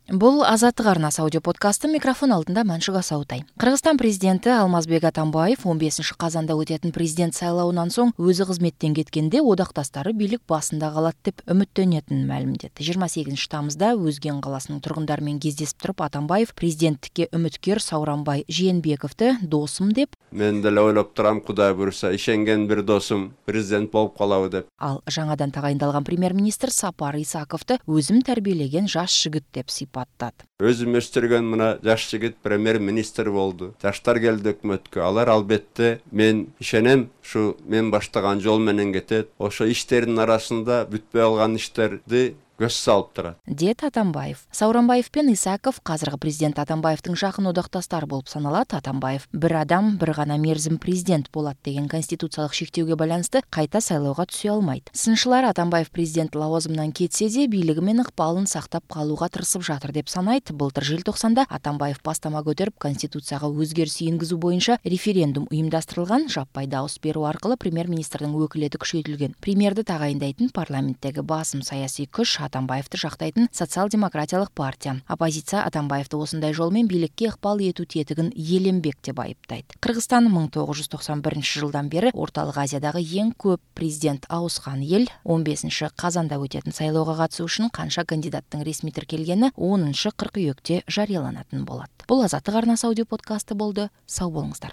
Бул Азаттык арнасы аудио подкасты. Микрофон алдында Маншук Асаутай. Кыргызстан президенти Алмазбек Атамбаев 15 казанда өтөтүн президент сайлауынан соң өзү кызметтен кеткенде одакташтары бийлик башында калат деп үмүттөнөтүнүн маалимдеди. 28 тамызда Өзген каласынын тургундары менен кездесип туруп Атамбаев президенттикке үмүткөр Сооронбай Жээнбековду досум деп, мен деле ойлоп турам, Кудай буйруса ишенген бир досум президент болуп калабы деп. Ал жаңадан тагайындалган премьер-министр Сапар Исаковду өзүм тарбиелеген жаш жигит деп сыйпаттады. Өзүм өстүргөн мына жаш жигит премьер-министр болду. Жаштар келди өкмөткө. Алар албетте мен ишенем, ушу мен баштаган жол менен кетет. Ошо иштердин арасында бүтпөй калган иштерди көз салып турат, деді Атамбаев. Сооронбаев пен Исаков казыркы президент Атамбаевдин жакын одакташтары болуп саналат. Атамбаев бир адам бир гана мерзим президент болот деген конституциялык шектөөгө байланыштуу кайта сайлоого түсө алмайт. Сынчылар Атамбаев президент лавазымынан кетсе де бийлиги менен ыкпалын сактап калууга тырышып жатыр деп санайт. Былтыр желтоқсанда Атамбаев бастама көтөрүп конституцияга өзгөрүш энгизүү боюнча референдум уюмдаштырылган. Жаппай дауыс берүү аркылуу премьер-министрдин өкүлети күчөйтүлгөн. Премьерди тагайындайтын парламенттеги басым саясий күч Атамбаевди жактайтын социал-демократиялык партия. Оппозиция Атамбаевди осундай жол менен бийликке ыкпал этүү тетигин иеленбек деп айыптайт. Кыргызстан 1991 жылдан бери Орталык Азиядагы эң көп президент ауыскан эл. 15 казанда өтөтүн сайлоого катышуу үчүн канча кандидаттын ресми тиркелгени 10 кыркүйөктө жарыяланатын болот. Бул Азаттык арнасы аудио подкасты болду. Сау болуңуздар.